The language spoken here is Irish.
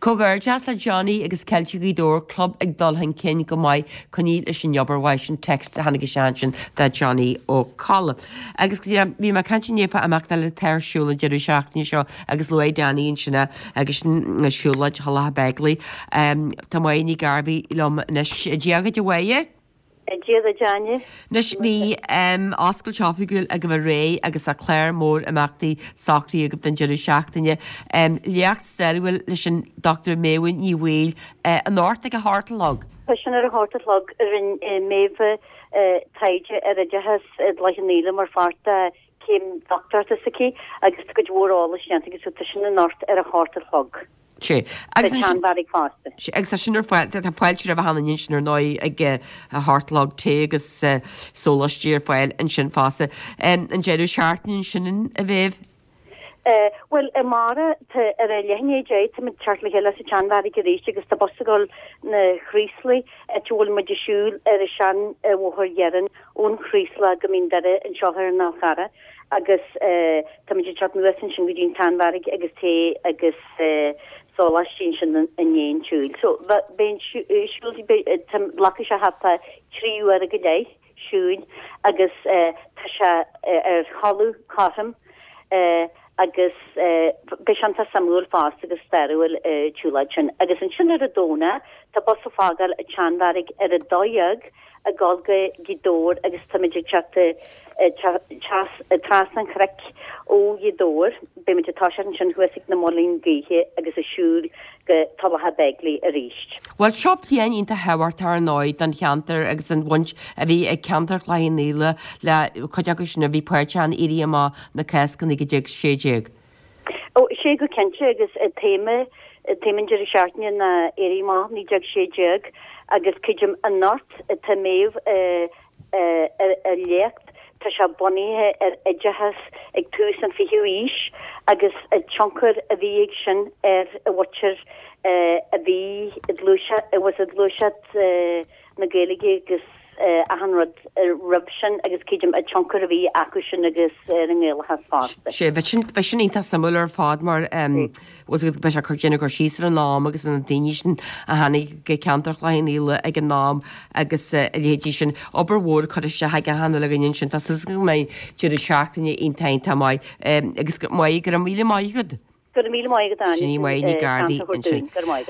Comhghairdeas le Johnny agus Ceiltigh Ghaoth Dobhair, club ag dul chun cinn go maith, coinnigh leis an obair mhaith sin, text a tháinig isteach ansin do Johnny Ó Colla. Agus bhí mé ag caint inné fá imeacht eile atá ar siúl an deireadh seachtaine seo agus luaigh Danny ansin é agus sin siúlóid Thulach Beigile. Tá Máire Ní Ghairbhí liom anois. Dia dhuit a Mháire. Dia duit Áine. Anois bhí oscailt oifigiúil agaibh aréir agus tá clár mór imeachtaí socraithe agaibh don deireadh seachtaine. Léacht stairiúil leis an Dr Méabh Ní Bhaoill anocht ag a hocht a chlog. Tá sin ar a hocht a chlog. Rinne Méabh taighde ar oideachas i dTulach an Fhaola mar pháirt de chéim dochtúireachta s'aici agus tá cuid mhór eolais déanta aici so tá sin anocht ar a hocht a chlog. Sea. Agus Sa tSeanbheairic fosta. Sea, agus tá sin ar fáil, tá fáilte roimh achan duine ansin ar ndóigh ag a hocht a chlog, tae agus sóláistí ar fáil ansin fosta. An deireadh seachtaine ansin, a Mhéabh? Bhuel, amárach, tá ar a leath i ndiaidh 10, táimid ag teacht le chéile sa tSeanbheairic arís agus tá bus ag dul 'na Chraoslaigh, áit a bhfuil muid ag siúl ar an sean-bhóthar iarainn ón Chraoslach go Mín Doire anseo ar an Fhál Charrach agus táimid ag teacht anuas ansin go dtí an tSeanbheairic agus tae agus sóláistí ansin i ndiaidh an tsiúil. So, beidh an siúl, glacfaidh sé thart fá 3 uaire go leith siúil agus tá sé ar thalamh cothrom agus beidh sé iontach suimiúil fosta agus stairiúil an tsiúlóid sin. Agus ansin ar an Domhnach tá bus ag fágáil an tSeanbheairic ar a 12 ag dul go Gaoth Dobhair agus táimid ag teacht trasna an chnoic ó Ghaoth Dobhair. Beimid ag toiseacht ansin thuas ag na Muilinn Gaoithe agus ag siúl go Tulach Beigile arís. Bhuel, seo bliain iontach thábhachtach ar ndóigh don cheantar agus an bhaint a bhí ag ceantar Chloich Cheann Fhaola le cuid acu sin a bhí páirteach in Éirí Amach na Cásca 1916. Ó, sea go cinnte agus téama, téama an deireadh seachtaine ná Éirí Amach 1916 agus creidim anocht tá Méabh a léacht, tá sé bunaithe ar oideachas ag tús an fichiú aois agus an tionchar a bhí ag sin ar an mhuintir a bhí i ngluaiseacht, a was i ngluaiseacht na Gaeilge agus achan rud roimh sin agus creidim an tionchar a bhí acu sin agus ar an nGaelachas fosta. Sea, bheadh sin, bheadh sin iontach suimiúil ar fad mar bhfuil a fhios agat, beidh sé ag cur, déanamh cur síos ar an am agus ar na daoine sin a tháinig go ceantar Chloich Cheann Fhaola ag an am agus a leithéidí sin. Obair mhór curtha isteach ag achan uile dhuine ansin. Tá súil agam go mbeidh deireadh seachtaine iontach iontach maith agus maith, go raibh míle maith agat. Go raibh míle maith agat Áine. Sin í Máire Ní Ghairbhí ansin. Go raibh maith agat.